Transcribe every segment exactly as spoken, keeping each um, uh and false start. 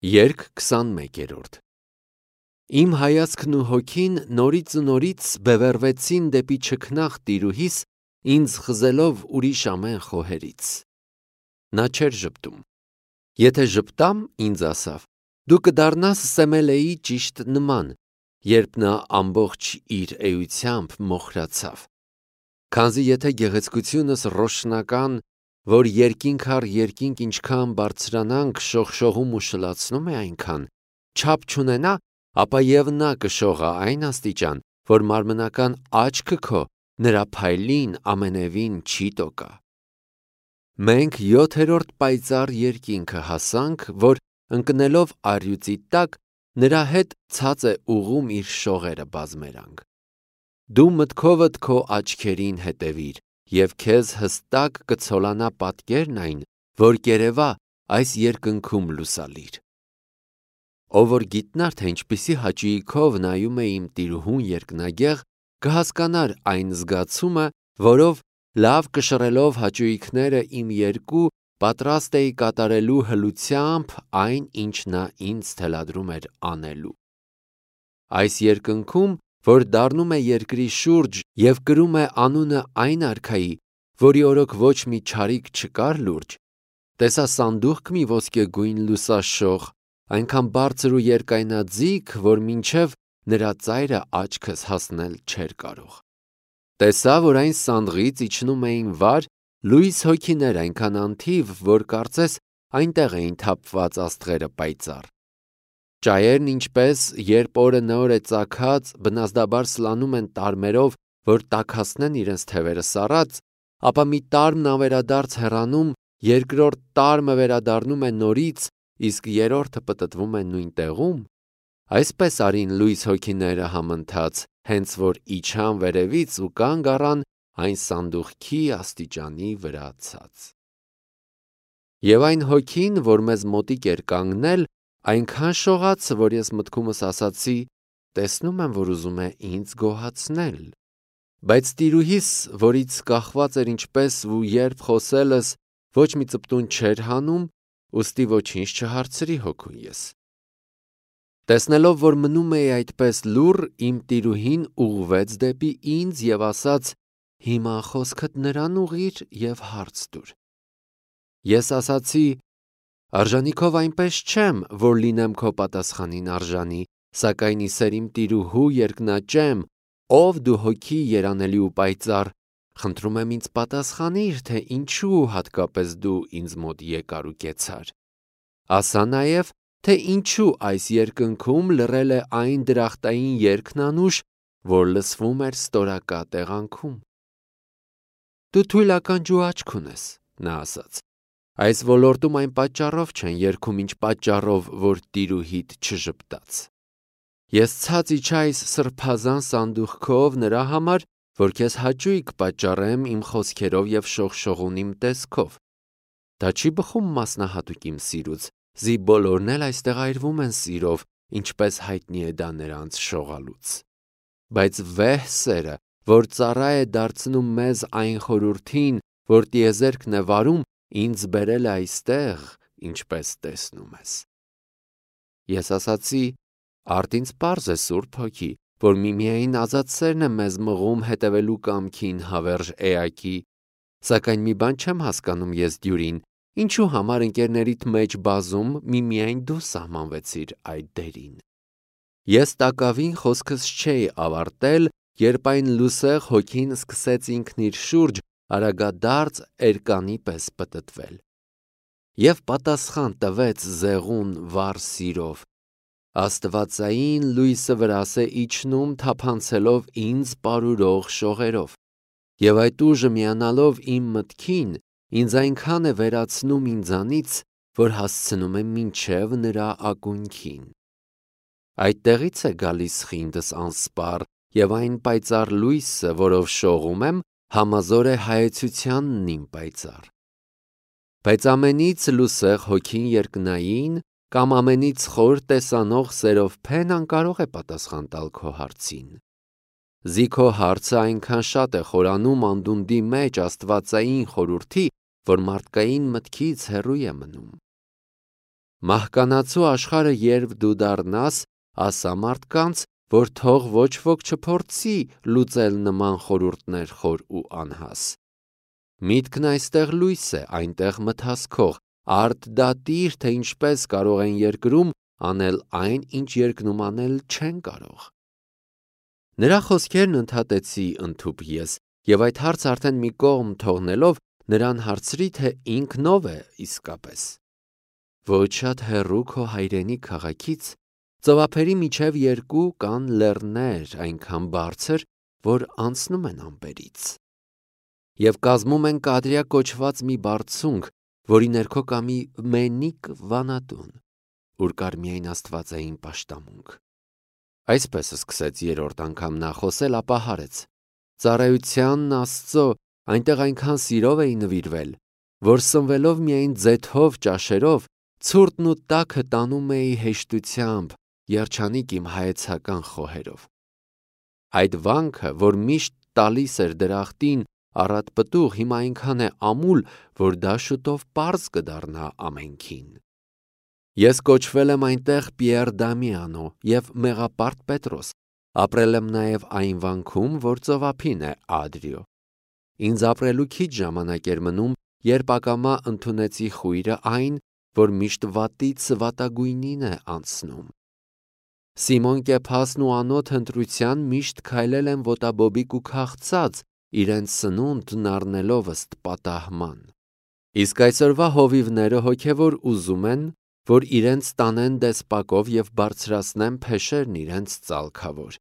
Երգ քսանմեկերորդ Իմ հայացքն ու հոգին նորից ու նորից բևեռվեցին դեպի չքնաղ տիրուհիս, ինձ խզելով ուրիշ ամեն խոհերից: Նա չէր ժպտում: Եթե ժպտամ, ինձ ասավ. դու կդառնաս Սեմելեի ճիշտ նման, երբ նա ամբողջ իր էությամբ մոխրացավ: Քանզի եթե գեղեցկությունս ռոշնական, որ երկինք առ երկինք ինչքան բարձրանանք շողշողում ու շլացնում է այնքան, չափ չունենա, ապա և նա կշողա այն աստիճան, որ մարմնական աչքը քո նրա փայլին ամենևին չի տոկա: Մենք յոթերորդ պայծառ երկինքը հասանք, որ ընկնելով առյուծի տակ, նրա հետ ցած է ուղղում իր շողերը բազմերանգ: Դու մտքովդ քո աչքերին հետևիր, և քեզ հստակ կցոլանա պատկերն այն, որ կերևա այս երկնքում լուսալիր: Ով որ գիտնար, թե ինչպիսի հաճույքով նայում է իմ տիրուհուն երկնագեղ, կհասկանար այն զգացումը, որով լավ կշռելով հաճույքները իմ երկու, պատրաստ էի կատարելու հլությամբ այն, ինչ նա ինձ թելադրում էր անելու: Այս երկնքում, որ դառնում է երկրի շուրջ և կրում է անունը այն արքայի, որի օրոք ոչ մի չարիք չկար լուրջ, տեսա սանդուղք մի ոսկեգույն լուսաշող, այնքան բարձր ու երկայնաձիգ, որ մինչև նրա ծայրը աչքս հասնել չէր կարող: Տեսա, որ այն սանդղից իջնում էին վար, լույս հոգիներ այնքան անթիվ, որ կարծես այնտեղ էին թափված աստղերը պայծառ: Ճայերն ինչպես, երբ օրը նոր է ծագած, բնազդաբար սլանում են տարմերով, որ տաքացնեն իրենց թևերը սառած, ապա մի տարմն ավերադարձ հեռանում, երկրորդ տարմը վերադառնում է նորից, իսկ երրորդը պտտվում է նույն տեղում, այսպես արին լույս հոգիները համընթաց, հենց որ իջան վերևից ու կանգ առան այն սանդուղքի աստիճանի վրա ցած: Եվ այն հոգին, որ մեզ մոտիկ էր կանգնել, այնքան շողաց, որ ես մտքումս ասացի. տեսնում եմ, որ ուզում է ինձ գոհացնել: Բայց տիրուհիս, որից կախված էր ինչպես ու երբ խոսելս, ոչ մի ծպտուն չէր հանում, ուստի ոչինչ չհարցրի հոգուն ես: Տեսնելով, որ մնում էի այդպես լուռ, իմ տիրուհին ուղղվեց դեպի ինձ և ասաց. հիմա խոսքդ նրան ուղղիր և հարց տուր: Ես ասացի. արժանիքով այնպես չեմ, որ լինեմ քո պատասխանին արժանի, սակայն ի սեր իմ տիրուհու երկնաճեմ, ով դու հոգի երանելի ու պայծառ, խնդրում եմ ինձ պատասխանիր, թե ինչու հատկապես դու ինձ մոտ եկար ու կեցար: Ասա նաև, թե ինչու այս երկնքում լռել է այն դրախտային երգն անուշ, որ լսվում էր ստորակա տեղանքում: Դու թույլ ականջ ու աչք ունես, նա ասաց, այս ոլորտում այն պատճառով չեն երգում, ինչ պատճառով, որ տիրուհիդ չժպտաց: Ես ցած իջա այս սրբազան սանդուղքով նրա համար, որ քեզ հաճույք պատճառեմ իմ խոսքերով և շողշողուն իմ տեսքով: Դա չի բխում մասնահատուկ իմ սիրուց, զի բոլորն էլ այստեղ այրվում են սիրով, ինչպես հայտնի է դա նրանց շողալուց: Բայց վեհ սերը, որ ծառա է դարձնում մեզ այն խորհրդին, որ տիեզերքն է վարում, ինձ բերել է այստեղ, ինչպես տեսնում ես: Ես ասացի. արդ ինձ պարզ է, Սուրբ Հոգի, որ միմիայն ազատ սերն է մեզ մղում հետևելու կամքին հավերժ էակի, սակայն մի բան չեմ հասկանում ես դյուրին, ինչու համար ընկերներիդ մեջ բազում միմիայն դու սահմանվեցիր այդ դերին: Ես տակավին խոսքս չէի ավարտել, երբ այն լուսեղ հոգին սկսեց ինքն իր շուրջ արագադարձ էրկանի պես պտտվել: Եվ պատասխան տվեց զեղուն վառ սիրով. աստվածային լույսը վրաս է իջնում թափանցելով ինձ պարուրող շողերով: Եվ այդ ուժը միանալով իմ մտքին, ինձ այնքան է վերացնում ինձանից, որ հասցնում է մինչև նրա ակունքին: Այդտեղից է գալիս խինդս անսպառ, և այն պայծառ լույսը, որով շողում եմ, համազոր է հայեցությանն իմ պայծառ: Բայց ամենից լուսեղ հոգին երկնային, կամ ամենից խոր տեսանող սերով փեն անկարող է պատասխան տալ քո հարցին: Զի քո հարցը այնքան շատ է խորանում անդունդի մեջ աստվածային խորհրդի, որ մարդկային մտքից հեռու է մնում: Մահկանացու աշխարհը երբ դու դառնաս, ասա մարդկանց, որ թող ոչ ոք չփորձի լուծել նման խորհուրդներ խոր ու անհաս։ Միտքն այստեղ լույս է, այնտեղ մթասքող, արդ դատիր, թե ինչպես կարող են երկրում անել այն, ինչ երկնում անել չեն կարող։ Նրա խոսքերն ընդհատեցի ընդհուպ ես, եւ այդ հարցը արդեն մի կողմ թողնելով նրան հարցրի, թե ինքնով է իսկապես։ Ոչ շատ հեռու քո հայրենի քաղաքից ծովափերի միջև երկու կան լեռներ այնքան բարձր, որ անցնում են ամպերից, եւ կազմում են Կադրիա կոչված մի բարձունք, որի ներքո կա մի մենիկ վանատուն, ուր կար միայն աստվածային պաշտամունք։ Այսպես սկսեց երրորդ անգամ նա խոսել, ապա հարեց. Ծառայությանն Աստծո, այնտեղ այնքան սիրով էի նվիրվել, որ սնվելով միայն ձեթով ճաշերով, ցուրտն ու տաքը տանում էի հեշտությամբ, երջանիկ իմ հայեցական խոհերով։ Այդ վանքը, որ միշտ տալիս էր դրախտին առատ պտուղ, հիմա այնքան է ամուլ, որ դա շուտով պարզ կդառնա ամենքին։ Ես կոչվել եմ այնտեղ Պիեր Դամիանո և Մեղապարտ Պետրոս, ապրել եմ նաև այն վանքում, որ ծովափին է Ադրիո։ Ինձ ապրելու քիչ ժամանակ էր մնում, երբ ակամա ընդունեցի խույրը այն, որ միշտ վատից վատագույնին է անցնում։ Սիմոն Կեփասն ու անոթ ընտրության միշտ քայլել են ոտաբոբիկ ու քաղցած, իրենց սնունդն առնելով ըստ պատահման։ Իսկ այսօրվա հովիվները հոգևոր ուզում են, որ իրենց տանեն դեսպակով և բարձրացնեն փեշերն իրենց ծալքավոր։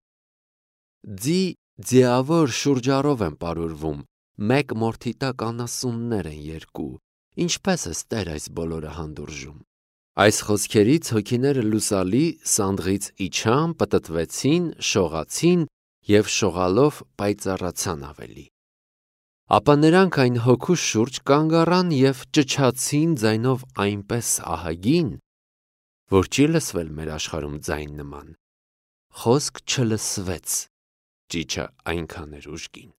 Ձի ձիավոր շուրջառով են պարուրվում, մեկ մորթի տակ անասուններ են երկու, ինչպես է Տեր այս բոլորը հանդուրժում։ Այս խոսքերից հոգիները լուսալի սանդղից իջան, պտտվեցին, շողացին և շողալով պայծառացան ավելի։ Ապա նրանք այն հոգու շուրջ կանգ առան և ճչացին ձայնով այնպես ահագին, որ չի լսվել մեր աշխարհում ձայն նման։ Խոսք չլսվեց, ճիչը այնքան էր ուժգին։